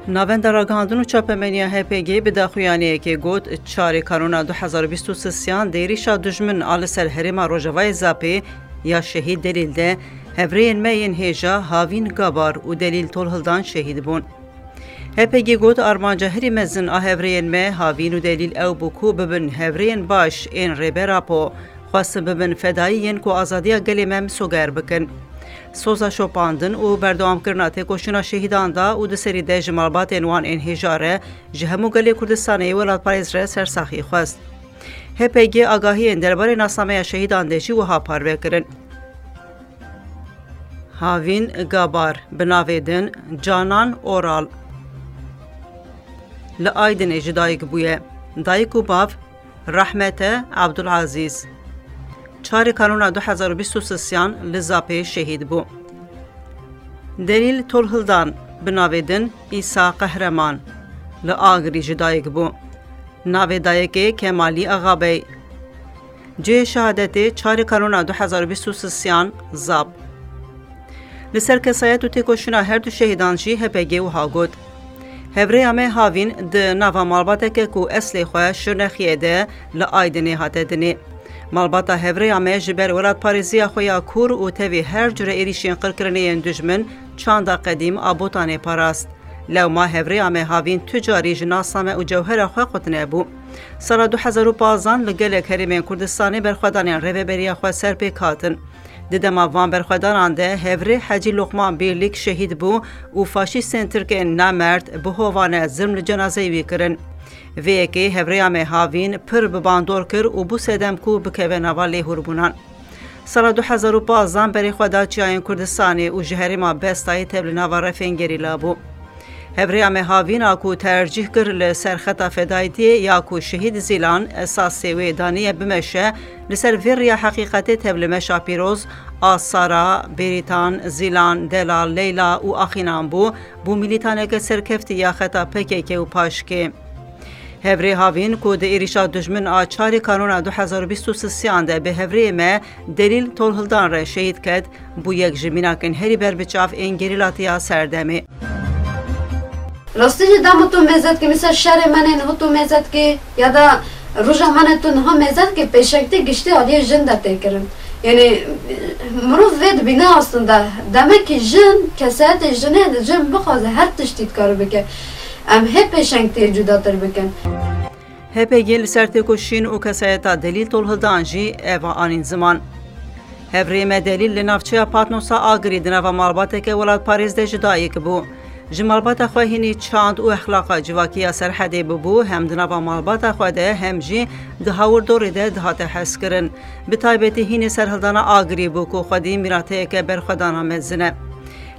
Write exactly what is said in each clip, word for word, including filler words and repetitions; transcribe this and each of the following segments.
Navenda Ragihandin û Çapemeniya H P G bi daxuyaniyekê got, çarê Kanûna du hezar û bîst û sisiyan di êrîşa dijmin a li ser herêma Rojavayê Zapê ya Şehîd Delîl de hevrêyên me yên hêja Havîn Gabar û Delîl Tolhildan şehîd bûn. H P G got, armanca herî mezin a hevrêyên me Havîn û Delîl ew bû ku bibin hevrêyên baş ên Rêber Apo, xwestin bibin fedayî yên ku azadiya gelê me misoger bikin. Soza şopandin û berdewamkirina têkoşîna şehîdan da û di serî de ji malbatên wan ên hêja re, ji hemû gelê Kurdistanê yê welatparêz re sersaxî xwest. H P G agahiyên derbarê nasnameya şehîdan de jî wiha parve kirin. Havîn Gabar, bi navê din Canan Oral, li Aydinê ji dayik bûye. Dayik û bav Rehmete Abdulazîz. Çarê Kanûna du hezar û bîst û sisiyan li Zapê şehîd bû. Delîl Tolhildan, bi navê din Îsa Qehreman, li Agirî ji dayik bû. Navê dayikê Kemalî Axabey. Cihê şehadetê çarê Kanûna du hezar û bîst û sisiyan, Zap. Li ser kesayet û têkoşîna her du şehîdan jî H P G wiha got, Hevrêya me Havîn di nava malbateke ku eslê xwe Şirnexiyê de li Aydinê hate dinê. Malbata hevrêya me ji ber welatparêziya xwe ya kûr û tevî her cure êrîşên qirkirinê yên dijmin çanda qedîm a Botanê parast. Lewma hevrêya me Havîn tu carî ji nasname û cewhera xwe qut nebû. Sala du hezar û panzdan li gelek herêmên Kurdistanê berxwedanên Rêveberiya Xweser pêk hatin. Di dema van berxwedanan de hevrê Hecî Loqman Bêrlîk şehîd bû û faşîstên tirkên namerd bi hovane zilm li cenazeyê wî kirin. Vê yekê hevrêya me Havîn pir bi bandor kir û bû sedem ku bikeve nava lêhûrbûnan. Sala du hezar û panzdan berê xwe da çiyayên Kurdistanê û ji herêma Bestayê tev li nava refên gerîla bû. Hevrêya me Havîn a ku tercîh kir li ser xeta fedayîtiyê ya ku şehîd Zîlan esasê wê daniye bimeşe, li ser vê riya heqîqetê tev li meşa pîroz a Sara, Bêrîtan, Zîlan, Delal, Leyla û Axînan bû, bû mîlîtaneke serkeftî ya xeta P K K û paşkê. Hevrê Havîn ku di êrîşa dijmin a çarê Kanûna du hezar û bîst û sisiyan de bi hevrêyê me Delîl Tolhildan re şehîd ket, bû yek ji mînakên herî berbiçav ên gerîlatiya serdemê. Rastî jî dema tu mêze dikî, misal şerê me nê niha tu mêze dikî ya da roja me ne tu niha mêze dikî, pêşengtî giştî aliyê jin de tê kirin. Yanî mirov vê dibîne aslında. Demekî jin, kesayetê jinê, jin bixwaze her tiştî dikare bike. Em hê pêşengtiyê cudatir bikin. H P G li ser têkoşîn û kesayeta Delîl Tolhildan jî eva anîn ziman. Hevrê me Delîl li navçeya Patnosa Agirî di nava malbateke welatparêz de ji dayik bû. Ji malbata xwe hînî çand û exlaqa civakî ya Serhedê bûbû, hem di nava malbata xwe de hem jî di hawirdorê de dihate hezkirin. Bi taybetî hînî serhildana Agirî bû ku xwedî mîrateyeke berxwedana mezin e.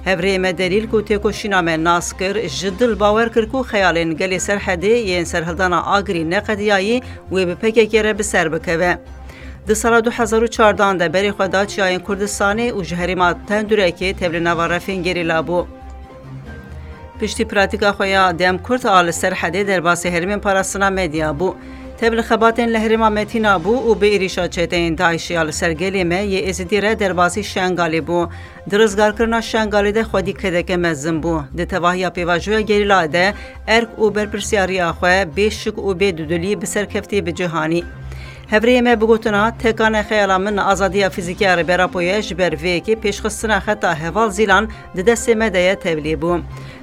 Hevrêyê me Delîl ku têkoşîna me nas kir, ji dil bawer kir ku xeyalên gelê Serhedê yên serhildana Agirî neqediyayî wê bi P K K re bi ser bikeve. Di sala du hezar û çardan de berê xwe da çiyayên Kurdistanê û ji herêma Tendurekê tev li nava refên gerîla bû. Piştî pratîka xwe ya dem kurt a li Serhedê derbasî herêmên parastina Medya bû. Tev li xebatên li herêma Metîna bû û bi êrîşa çeteyên DAIŞê ya li ser gelê me yê Êzidî re derbasî Şengalê bû. Di rizgarkirina Şengalê de xwedî kedeke mezin bû. Di tevahiya pêvajoya gerîla de erk û berpirsiyariya xwe bê şik û bê dudilî bi serkeftî bi cih anî. Hevrêyê me bi gotina, tekane xeyala min azadiya fîzîkî ya Rêber Apo ye, ji ber vê yekê pêşxistina xeta heval Zîlan di destê me de ye tevlî bû.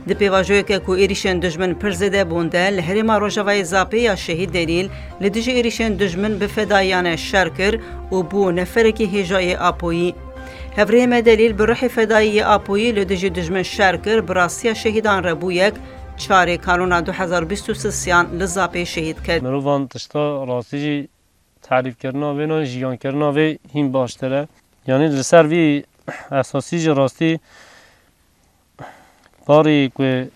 Di pêvajoyeke ku êrîşên dijmin pir zêde bûn de, li herêma Rojavayê Zapê ya Şehîd Delîl li dijî êrîşên dijmin bi fedayiyane şer kir û bû neferekî hêja yê Apoyî. Hevrêyê me Delîl bi ruhê fedayî yê Apoyî li dijî dijmin şer kir, bi rastiya şehîdan re bû yek, çarê Kanûna du hezar bîst û sisiyan li Zapê şehîd ket. Mirovan tişta rastî jî tarîfkirina vê nan jiyankirina vê hîn baştir e. Yanî li ser vî esasî jî rastî barî ku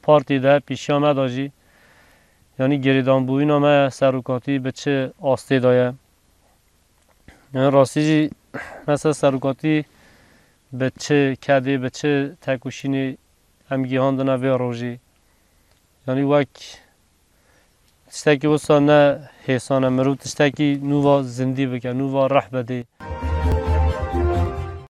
partî de pîşiya me de jî, yanî girêdanbûyîna me serokatî bi çi astê de ye? Yanî rastî jî me ser serokatî bi çi kedê, bi çi tekoşînê em gihandine vê rojê? Yanî wek tiştekî wisa ne hêsan e, mirov tiştekî nû va zindî bike, nû va rih bidê.